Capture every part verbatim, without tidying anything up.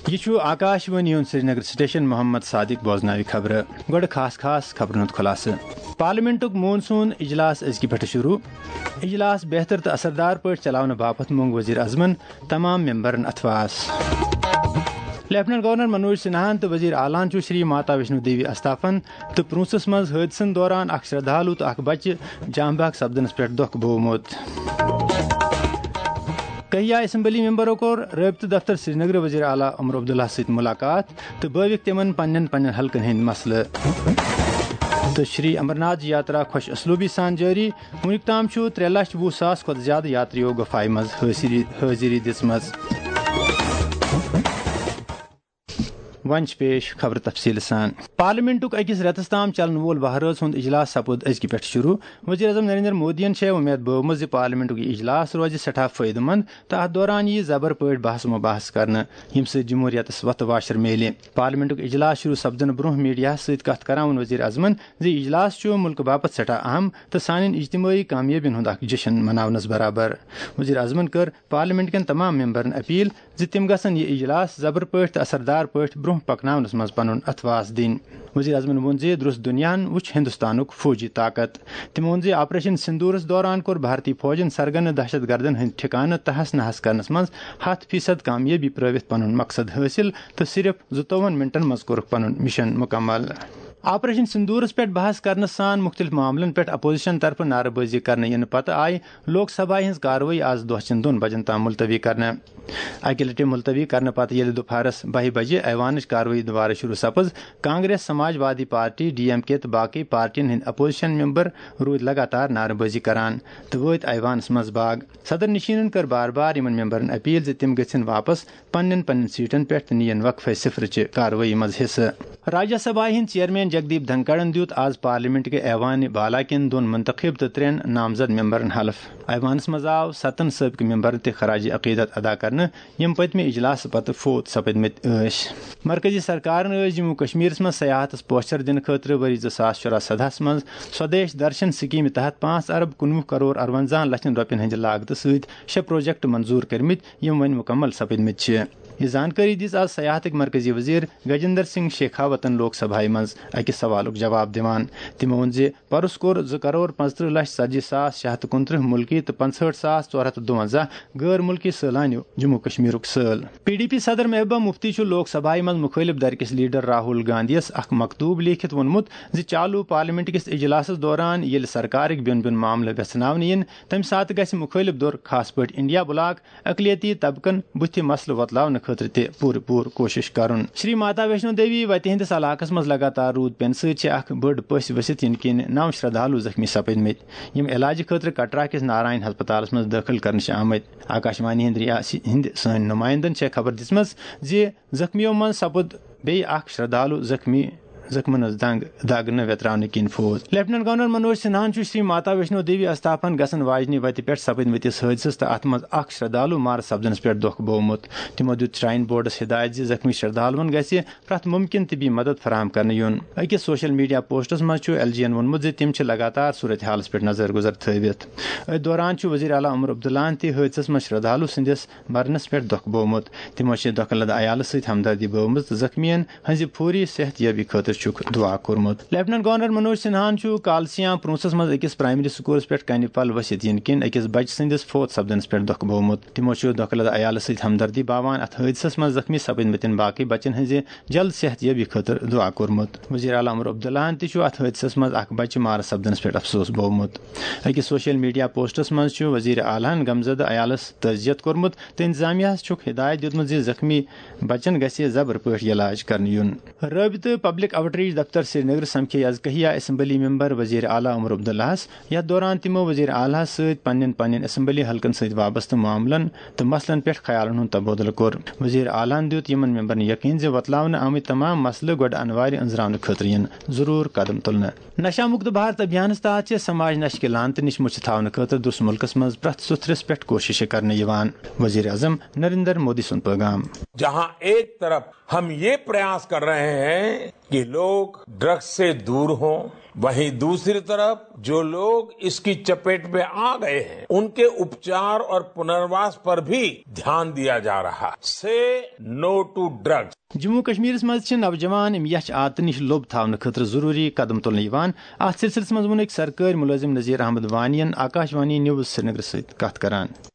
یہِ چھُ آکاش وانی ہُنٛد سرینگر سٹیشن۔ محمد صادق بوزناوِ خبرٕ۔ گۄڈٕ خاص خاص خبرن ہُنٛد خلاصہٕ۔ پارلیمنٹُک مون سون اجلاس أزکہِ پٮ۪ٹھٕ شروع۔ اجلاس بہتر تہٕ اثردار پٲٹھۍ چلاونہٕ باپتھ مونگ وزیر اعظمن تمام ممبرن اتھواس۔ لیفٹیننٹ گورنر منوج سنہاہن تہٕ وزیر اعلیٰ ہن چھُ شری ماتا ویشنو دیوی استافن تہٕ پرونسس منٛز حٲدثن دوران اکھ شردھالو تہٕ اکھ بچہِ جام بحق سپدنس پٮ۪ٹھ دۄکھ بوومُت۔ کہیا اسمبلی ممبرو کوٚر رٲبطہٕ دفتر سرینگر وزیر اعلیٰ عمر عبداللہ سۭتۍ ملاقات تہٕ بٲوِکھ تِمن پننٮ۪ن پننٮ۪ن حلقن ہٕنٛدۍ مسلہٕ۔ تہٕ شری امرناتھ یاترا خۄش اسلوبی سان جٲری۔ وُنیُک تام چھُ ترٛےٚ لچھ وُہ ساس کھۄتہٕ زیادٕ یاتریو گفایہِ منٛز حٲضری حٲضری دِژمٕژ۔ وۄنۍ چھِ پیش خبرٕ تفصیٖل سان۔ پارلیمنٹُک أکِس رٮ۪تَس تام چلن وول وہرٲژ ہُنٛد اجلاس سپُد أزکہِ پٮ۪ٹھ شروع۔ وزیر اعظم نریندر مودیَن چھےٚ وۄمید بٲومٕژ زِ پارلیمنٹُک یہِ اجلاس روزِ سٮ۪ٹھاہ فٲیدٕ مند تہٕ اَتھ دوران یِیہِ زبر پٲٹھۍ بحث و مباحث کرنہٕ، ییٚمہِ سۭتۍ جمہوریتَس وۄتھٕ واشر میلہِ۔ پارلیمنٹُک اجلاس شروع سپدنہٕ برونٛہہ میڈیاہَس سۭتۍ کتھ کران ووٚن وزیر اعظمن زِ یہِ اجلاس چھُ مُلکہٕ باپتھ سٮ۪ٹھاہ اہم تہٕ سانٮ۪ن اجتمٲعی کامیٲبین ہُنٛد اکھ جشن مناونس برابر۔ وزیر اعظمن کٔر پارلیمنٹ کٮ۪ن تمام ممبرن اپیل زِ تِم گژھن یہِ اجلاس زبر پٲٹھۍ تہٕ اثردار پٲٹھۍ برونٛہہ پکناونس منٛز پنُن اتھواس دِنۍ۔ وزیر اعظمن ووٚن زِ درست دُنیاہن وُچھ ہندوستانُک فوجی طاقت۔ تٔمۍ ووٚن زِ آپریشن سندورس دوران کوٚر بھارتی فوجن سرگنہٕ دہشت گردن ہٕنٛدۍ ٹھکانہٕ تہس نہس کرنس منٛز ہتھ فیصد کامیٲبی پرٲوِتھ پنُن مقصد حٲصِل تہٕ صرف زٕتووُہن منٹن منٛز کوٚرُکھ پنُن مشن مکمل۔ آپریشن سندورس پٮ۪ٹھ بحث کرنہٕ سان مُختٔلِف معاملن پٮ۪ٹھ اپوزیشن طرفہٕ نعرٕ بٲزی کرنہٕ یِنہٕ پتہٕ آیہِ لوک سبھایہِ ہٕنٛز کاروٲیی آز دۄہ چٮ۪ن دۄن بجن تام ملتوی کرنہٕ۔ اکہِ لٹہِ ملتوی کرنہٕ پتہٕ ییٚلہِ دُپہرس بہہِ بجہِ ایوانٕچ کاروٲیی دوبارٕ شروع سپٕز، کانگریس، سماج وادی پارٹی، ڈی ایم کے تہٕ باقٕے پارٹین ہٕنٛدۍ اپوزیشن ممبر روٗدۍ لگاتار نعرٕ بٲزی کران تہٕ وٲتۍ ایوانس منٛز باگ۔ صدر نشینن کٔر بار بار یِمن ممبرن اپیل زِ تِم گٔژھِن واپس پننٮ۪ن پننٮ۪ن سیٹن پٮ۪ٹھ تہٕ نِیِن وقفے صفرٕچہِ کاروٲیی منٛز حصہٕ۔ راجیہ سبھایہِ ہٕنٛدۍ چیئرمین جگدیپ دھنکڑن دیُت آز پارلیمنٹ کہِ ایوان بالا کٮ۪ن دۄن منتخب تہٕ ترٛٮ۪ن نامزد ممبرن حلف۔ ایوانس منٛز آو ستن سٲبقہٕ ممبرن تہِ خراج عقیدت ادا کرنہٕ، یِم پٔتمہِ اجلاسہٕ پتہٕ فوت سپدمٕتۍ ٲسۍ۔ مرکزی سرکارن ٲسۍ جموں کشمیرس منٛز سیاحتس پوچھر دِنہٕ خٲطرٕ ؤری زٕ ساس شُراہ سدہس منٛز سودیش درشن سکیمہِ تحت پانٛژھ ارب کُنوُہ کرور ارونزاہن لچھن رۄپین ہٕنٛدِ لاگتہٕ سۭتۍ شےٚ پروجیکٹ منظور کٔرمٕتۍ، یِم وۄنۍ مکمل سپدمٕتۍ چھِ۔ یہِ زانکٲری دِژ آز سیاحتٕکۍ مرکزی وزیر گجندر سنگھ شیخاوتن لوک سبھایہ منٛز أکِس سوالُک جواب دِوان۔ تٔمۍ ووٚن زِ پرُس کوٚر زٕ کرور پانٛژترٕہ لچھ ژتجی ساس شےٚ ہتھ تہٕ کُنترٕہ مُلکی تہٕ پانٛژہٲٹھ ساس ژور ہتھ تہٕ دُوَنزاہ غٲر مُلکی سٲلانیو جموں کشمیرُک سٲل۔ پی ڈی پی صدر محبوبہ مفتی چھُ لوک سبھایہ منٛز مُخٲلف دھڑکس لیڈر راہول گاندھیَس اکھ مکتوب لیکھِتھ ووٚنمُت زِ چالو پارلیمنٹ کِس اجلاسس دوران ییٚلہِ سرکارٕکۍ بیوٚن بیوٚن معاملہٕ ویژھناونہٕ یِن، تَمہِ ساتہٕ گژھِ مُخٲلف دھُر، خاص پٲٹھۍ انڈیا بلاک، اقلیتی طبقن بُتھِ مسلہٕ وۄتلاونہٕ خٲطرٕ تہِ پوٗرٕ پوٗرٕ کوٗشش کرُن۔ شری ماتا ویشنو دیوی وتہِ ہٕنٛدِس علاقس منٛز لگاتار روٗد پٮ۪نہٕ سۭتۍ چھِ اکھ بٔڑ پٔژھۍ ؤسِتھ یِنہٕ کِنۍ نو شردھالو زخمی سپدمٕتۍ، یِم علاجہٕ خٲطرٕ کٹرا کِس نارائن ہسپتالس منٛز دٲخل کرنہٕ چھِ آمٕتۍ۔ آکاش وانی ہٕنٛدِ رِیاسی ہٕنٛدِ سٲنۍ نُمایندن چھےٚ خبر دِژمٕژ زِ زخمیو منٛز سپُد بیٚیہِ اکھ شردھالو زخمی، زخمن ہٕنٛز دنگ دگ نہٕ ویتراونہٕ کِنۍ فوت۔ لیفٹیننٹ گورنر منوج سنہاہن چھُ شری ماتا ویشنو دیوی استافن گژھن واجنہِ وتہِ پٮ۪ٹھ سپدمٕتِس حٲدثس تہٕ اتھ منٛز اکھ شردھالو مارٕ سپدنس پٮ۪ٹھ دۄکھ بوومُت۔ تِمو دیُت شراین بورڈس ہدایت زِ زخمی شردھالوَن گژھِ پرٛٮ۪تھ مُمکِن طبی مدد فراہم کرنہٕ یُن۔ أکِس سوشل میڈیا پوسٹس منٛز چھُ ایل جی یَن ووٚنمُت زِ تِم چھِ لگاتار صورتحالَس پٮ۪ٹھ نظر گُزر تھٲوِتھ۔ أتھۍ دوران چھُ وزیر اعلیٰ عمر عبداللہَن تہِ حٲدثس منٛز شردھالو سٕنٛدِس مرنس پٮ۪ٹھ دۄکھ بوومُت۔ تِمو چھِ دۄکھٕ لدٕ عیالَس سۭتۍ ہمدردی بٲومٕژ تہٕ زخمیَن ہٕنٛزِ فوری صحت یابی خٲطرٕ چھُکھ دُعا کوٚرمُت۔ لیفٹیننٹ گورنر منوج سنہاہَن چھُ کالسیاں پرونسس منٛز أکِس پرائمری سکولس پٮ۪ٹھ کنہِ پل ؤسِتھ یِنہٕ کِنۍ أکِس بچہٕ سٕنٛدِس فوت سپدنس پٮ۪ٹھ دۄکھ بوومُت۔ تِمو چھُ دۄکھٕ لدٕ عیالَس سۭتۍ ہمدردی باوان اتھ حٲدثس منٛز زخمی سپدمٕتٮ۪ن باقٕے بچن ہٕنٛزِ جلد صحت یابی خٲطرٕ دُعا کوٚرمُت۔ وزیر اعلیٰ عمر عبداللہَن تہِ چھُ اتھ حٲدثس منٛز اکھ بچہٕ مارٕ سپدنس پٮ۪ٹھ افسوس بوومُت۔ أکِس سوشل میڈیا پوسٹس منٛز چھُ وزیر اعلیٰ ہَن غمزدٕ عیالَس تعزیت کوٚرمُت تہٕ انتظامیہ ہَس چھُکھ ہدایت دیُتمُت زِ زخمی بچن گژھِ زبر پٲٹھۍ علاج کرنہٕ یُن۔ رٲبطہٕ پبلک آؤٹ ریچ دفتر سرینگر سمکھے آز کہیا اسمبلی ممبر وزیر اعلیٰ عمر عبداللہَس، یتھ دوران تِمو وزیر اعلیٰ ہَس سۭتۍ پننٮ۪ن پننٮ۪ن اسمبلی حلقن سۭتۍ وابستہٕ معاملن تہٕ مسلن پٮ۪ٹھ خیالن ہُنٛد تبادلہٕ کوٚر۔ وزیر اعلیٰ ہَن دیُت یِمن ممبرن یقین زِ وۄتلاونہٕ آمٕتۍ تمام مسلہٕ گۄڈٕ انوارِ أنٛزراونہٕ خٲطرٕ یِن ضروٗر قدم تُلنہٕ۔ نشہ مکت بھارت ابھیانس تحت چھِ سماج نشہٕ کہِ لعنتہٕ نِش مُچھِ تھاونہٕ خٲطرٕ درست مُلکس منٛز پرٛٮ۪تھ سُتھرِس پٮ۪ٹھ کوٗششہٕ کرنہٕ یِوان۔ وزیر اعظم نریندر مودی سُنٛد پیغام۔ جہاں ایک طرف ہم یہ پریاس کر رہے ہیں کہ लोग ड्रग्स से दूर हों, वहीं दूसरी तरफ जो लोग इसकी चपेट में आ गए हैं, उनके उपचार और पुनर्वास पर भी ध्यान दिया जा रहा है। से नो टू ड्रग्स। جموں و کشمیرس منٛز چھِ نوجوان یِم یچھ عادتہٕ نِش لوٚب تھاونہٕ خٲطرٕ ضروٗری قدم تُلنہٕ یِوان۔ اتھ سلسلس منٛز ووٚن أکۍ سرکٲرۍ مُلٲزِم نذیر احمد وانی ین آکاش وانی نیوز سرینگرٕ سۭتۍ کتھ کران۔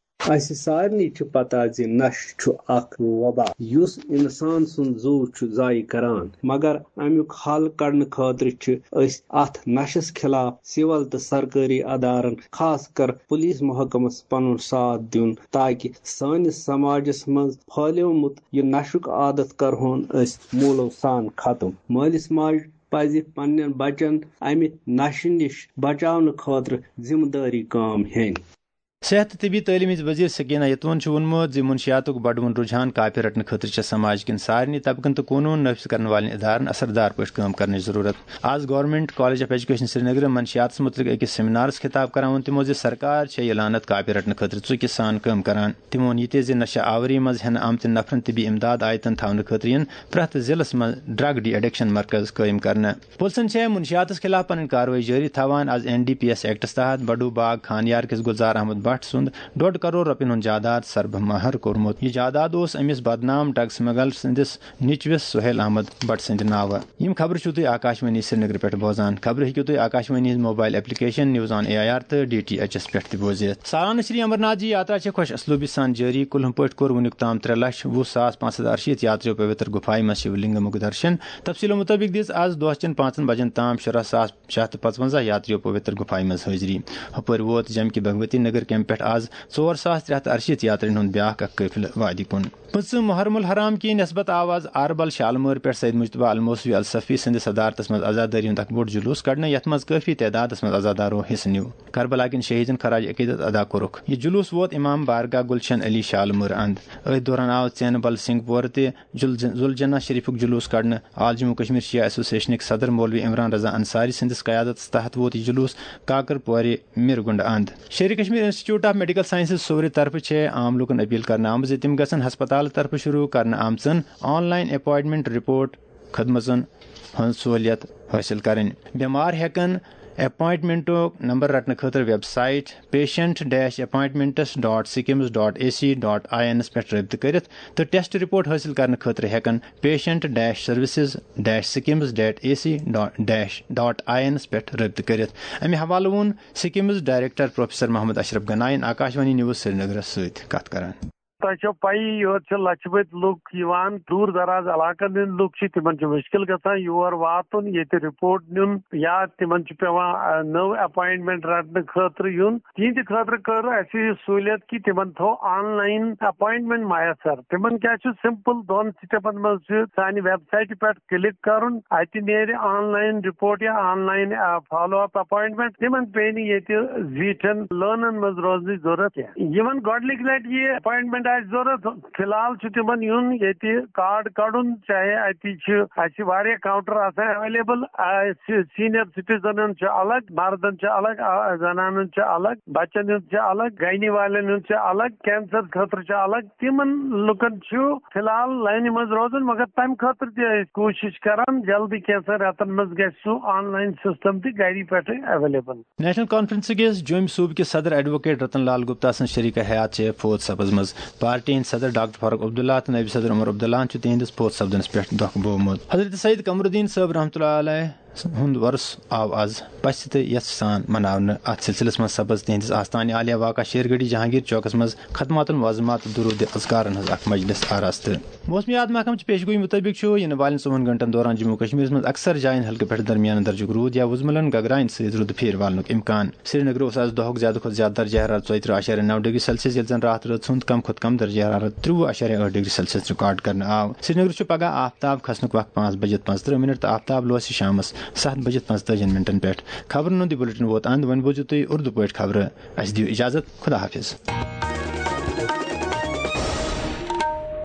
اسہِ سارنٕے چھِ پتہ زِ نشہٕ چھُ اکھ وبا یُس انسان سُنٛد زُو چھُ ضایع کران، مگر امیُک حل کڑنہٕ خٲطرٕ چھِ أسۍ اتھ نشس خلاف سول تہٕ سرکٲری ادارن، خاص کر پولیس محکمس پنُن ساتھ دیُن، تاکہ سٲنِس سماجس منٛز پھٲلیومُت یہِ نشُک عادت کرہون أسۍ موٗلو سان ختم۔ مٲلِس ماجہِ پزِ پننٮ۪ن بچن امہِ نشہٕ نِش بچاونہٕ خٲطرٕ ذمہٕ دٲری کٲم ہیٚنۍ۔ صحت تہٕ طبی تعلیٖم ہٕنٛز وزیر سکینہ یتون چھُ ووٚنمُت زِ منشیاتُک بڑوُن رجحان کاپہِ رٹنہٕ خٲطرٕ چھےٚ سماج کٮ۪ن سارنٕے طبقن تہٕ قونوٗن نافذ کرن والٮ۪ن ادارن اثردار پٲٹھۍ کٲم کرنٕچ ضروٗرت۔ آز گورنمنٹ کالج آف ایجوکیشن سرینگرٕ منشیاتس متعلق أکِس سیمینارس خطاب کران ووٚن تِمو زِ سرکار چھےٚ یہِ لعنت کاپہِ رٹنہٕ خٲطرٕ ژُکہِ سان کٲم کران۔ تِمو ووٚن یہِ تہِ زِ نشہ آوری منٛز ہٮ۪نہٕ آمتٮ۪ن نفرن طبی امداد آیتن تھاونہٕ خٲطرٕ یِن پرٛٮ۪تھ ضلعس منٛز ڈرگ ڈی ایڈکشن مرکز قٲیِم کرنہٕ۔ پُلسن چھےٚ منشیاتس خلاف پنٕنۍ کاروٲیی جٲری تھاوان۔ Is an D P S acts تحت بڈو باغ خانیار کِس گلزار احمد بٹ سُنٛد ڈۄڈ کرور رۄپین ہُنٛد جاداد سربہٕ مہر کوٚرمُت۔ یہِ جاداد اوس أمِس بدنام ڈرگ سمگلر سٕنٛدِس نیٚچوِس سہیل احمد بٹ سٕنٛدِ ناوٕ۔ یِم خبرٕ چھِو تُہۍ آکاشوانی سرینگرٕ پٮ۪ٹھ بوزان۔ خبرٕ ہیٚکِو تُہۍ آکاشوانی ہٕنٛز mobile application news on A I R تہٕ ڈی ٹی ایچ ایس پٮ۪ٹھ تہِ بوٗزِتھ۔ سارنہٕ شری امرناتھ جی یاترا چھےٚ خۄش اسلوبی سان جٲری۔ کُلہُم پٲٹھۍ کوٚر وُنیُک تام ترٛےٚ لچھ وُہ ساس پانٛژھ ہتھ ارشیٖتھ یاتریو پویتر گُفایہِ منٛز شِو لِنٛگہٕ مُکھ درشن۔ تفصیٖلو مُطٲبِق دِژ آز دۄہچن پانٛژن بجن تام شُراہ ساس شےٚ ہتھ تہٕ پانٛژونٛزاہ یاتریو پویتر گُفایہِ منٛز حٲضری۔ ہُپٲرۍ ووت جمکہِ بھگوتی نگر کیمپ پٮ۪ٹھ آز ژور ساس ترٛےٚ ہتھ ارشیٖتھ یاترین ہُنٛد بیٛاکھ اکھ قٲفلہٕ وادی کُن۔ پٕنٛژٕہ محرم الحرام کہِ نسبت آو آز اہربل شالمٲر پٮ۪ٹھ سید مجتبیٰ الموسوی الصفی سٕنٛدِس صدارتس منٛز عزادٲری ہُنٛد اکھ بوٚڑ جلوس کڑنہٕ، یتھ منٛز کٲفی تعدادس منٛز عزادارو حصہٕ نیوٗ۔ کربلا کٮ۪ن شہیدن خراج عقیدت ادا کوٚرُکھ۔ یہِ جلوس ووت امام بارگاہ گلشن علی شالمٲر اند۔ أتھۍ دوران آو ژینہٕ بل سنگھ پورٕ تہِ جل-، زُلجنہ شریفُک جلوس کڑنہٕ۔ آل جموں کشمیر شیعہ ایسوسیشنٕکۍ صدر مولوی عمران رضا انصاری سٕنٛدِس قیادتس تحت ووت یہِ جلوس کاکر پورِ مِرگُنٛڈ اند۔ Sheri Kashmir institute of medical sciences صوورِ طرفہٕ چھےٚ عام لوٗکن اپیل کرنہٕ آمٕژ زِ تِم گژھن ہسپتالہٕ طرفہٕ شروع کرنہٕ آمژن آن لائن اپوائنٹمنٹ رپورٹ خدمژن ہٕنٛز سہوٗلیت حٲصِل کرٕنۍ۔ بٮ۪مار ہٮ۪کن اپوائنٹمنٹُک نمبر رٹنہٕ خٲطرٕ website patient dash appointments dot sikims dot ac dot in پٮ۪ٹھ رٲبطہٕ کٔرِتھ تہٕ ٹیسٹ رپورٹ حٲصِل کرنہٕ خٲطرٕ ہٮ۪کن patient dash services dash sikims dot ac dash dot in پٮ۪ٹھ رٲبطہٕ کٔرِتھ۔ امہِ حوالہٕ ووٚن سکمز ڈائریکٹر پروفیسر محمد اشرف گناین آکاشوانی نیوز سرینگرس سۭتۍ کتھ کران۔ تۄہہِ چھو پَیی، یور چھِ لَچھِ بٔدۍ لُکھ یِوان، دوٗر دراز علاقن ہٕنٛدۍ لُکھ چھِ، تِمن چھِ مُشکِل گژھان یور واتُن، ییٚتہِ رپورٹ نیُن، یا تِمن چھُ پٮ۪وان، آ، نٔو اپوائنٹمنٹ رٹنہٕ خٲطرٕ یُن۔ تِہنٛدِ خٲطرٕ کٔر اَسہِ یہِ سہوٗلیت کہِ تِمن تھوٚو آن لائن اپوائنٹمنٹ میسر۔ تِمن کیٛاہ چھُ، سمپل دۄن سٹیپن منٛز چھُ سانہِ ویب سائٹہِ پٮ۪ٹھ کلک کرُن، اتہِ نیرِ آن لائن رپورٹ یا آن لائن، آ، فالو اپ اپوائنٹمنٹ۔ تِمن پیٚیہِ نہٕ ییٚتہِ زیٖٹھٮ۪ن لٲنن منٛز روزنٕچ ضروٗرت کینٛہہ۔ یِمن گۄڈٕنِکۍ لٹہِ یہِ اپوائنٹمنٹ آسہِ ضروٗرت، فی الحال چھُ تِمن یُن ییٚتہِ کارڈ کڑُن، چاہے اتہِ چھِ، اسہِ چھِ واریاہ کاؤنٹر آسان اویلیبل، اسہِ سینئر سٹیزنن چھُ الگ، مردن چھُ الگ، آ، زنانن چھُ الگ، بچن ہُنٛد چھُ الگ، گینی والٮ۪ن ہُنٛد چھُ الگ، کینسر خٲطرٕ چھُ الگ۔ تِمن لُکن چھُ فی الحال لٲنہِ منٛز روزُن، مگر تَمہِ خٲطرٕ تہِ ٲسۍ کوٗشِش کران، جلدی کینٛژن رٮ۪تن منٛز گژھِ سُہ آن لائن سسٹم تہِ گری پٮ۪ٹھٕے اویلیبل۔ نیشنل کانفرنس کِس جوٚمۍ صوٗبہٕ کِس صدر ایڈووکیٹ رتن لال گپتا سٕنٛز شریک حیات چھےٚ فوت سپٕزمٕژ۔ پارٹی ہٕنٛدۍ صدر ڈاکٹر فاروق عبداللہ تہٕ نٲیِب صدر عمر عبداللہن چھُ تِہنٛدِس فوت سپدنس پٮ۪ٹھ دۄکھ بوومُت۔ حضرت سید قمر الدین صٲب رحمتہ اللہ علیہ ہُنٛد وۄرُس آو از پژھِ تہٕ یژھِ سان مناونہٕ۔ اتھ سلسلس منٛز سپٕز تِہنٛدِس آستانہِ عالیہ واقع شیر گڑھی جہانگیر چوکس منٛز ختمات المعظمات تہٕ درود اذکارن ہٕنٛز اکھ مجلس آراستہٕ۔ موسمیات محکمہٕ چہِ پیشگویی مُطٲبِق چھُ یِنہٕ والٮ۪ن ژوٚوُہن گھنٹن دوران جموں و کشمیرس منٛز اکثر جاین ہلکہٕ پٮ۪ٹھ درمیانہٕ درجُک روٗد یا وُزملن گگراین سۭتۍ روٗدٕ پھیرِ والنُک امکان۔ سرینگرٕ اوس از دۄہُک زیادٕ کھۄتہٕ زیادٕ درجہ حرارت ژۄیہِ ترٕٛہ اعشاریہ نو ڈگری سیلسیس، ییٚلہِ زن راتھ رٲژ ہُنٛد کم کھۄتہٕ کم درجہ حرارت ترٛوُہ اعشاریہ ٲٹھ ڈگری سیلسیس ریکارڈ کرنہٕ آو۔ سرینگرٕ چھُ پگہہ آفتاب کھسنُک وقت پانٛژھ بجِتھ پانٛژترٕٛہ منٹ تہٕ آفتاب لوسہِ شامس ستھ بجِتھ پانٛژتٲجِہن منٹن پٮ۪ٹھ۔ خبرن ہُنٛد یہِ بُلٹن ووت اند۔ وۄنۍ بوٗزِو تُہۍ اردو پٲٹھۍ خبرٕ۔ اسہِ دِیِو اجازت۔ خدا حافظ۔